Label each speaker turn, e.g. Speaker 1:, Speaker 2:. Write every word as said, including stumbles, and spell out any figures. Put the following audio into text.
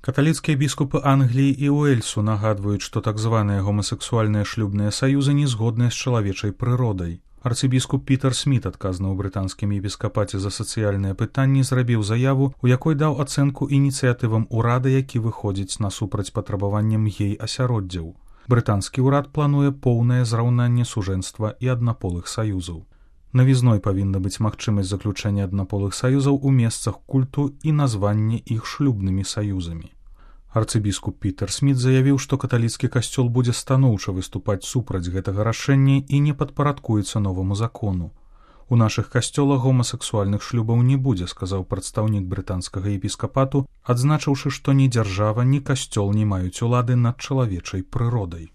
Speaker 1: Каталіцкія біскупы Англіі і Уэльсу нагадваюць, што так званыя гомасексуальныя шлюбныя саюзы не згодныя з чалавечай прыродай. Арцыбіскуп Пітер Сміт, адказны ў брытанскім епіскапаце за сацыяльныя пытанні, зрабіў заяву, у якой даў ацэнку ініцыятывам урада, які выходзіць насупраць патрабаванням гей-асяроддзяў. Брытанскі ўрад плануе поўнае зраўнанне сужэнства і аднаполых саюзаў. Навізной павінна быць магчымасць заключэння аднаполых саюзаў у месцах культу і названне іх шлюбнымі саюзамі. Арцыбіскуп Пітер Сміт заявіў, што каталіцкі касцёл будзе станоўча выступаць супраць гэтага рашэння і не падпарадкуецца новаму закону. У нашых касцёлах гомасексуальных шлюбаў не будзе, сказаў прадстаўнік брытанскага епіскапату, адзначыўшы, што ні дзяржава, ні касцёл не маюць улады над чалавечай прыродай.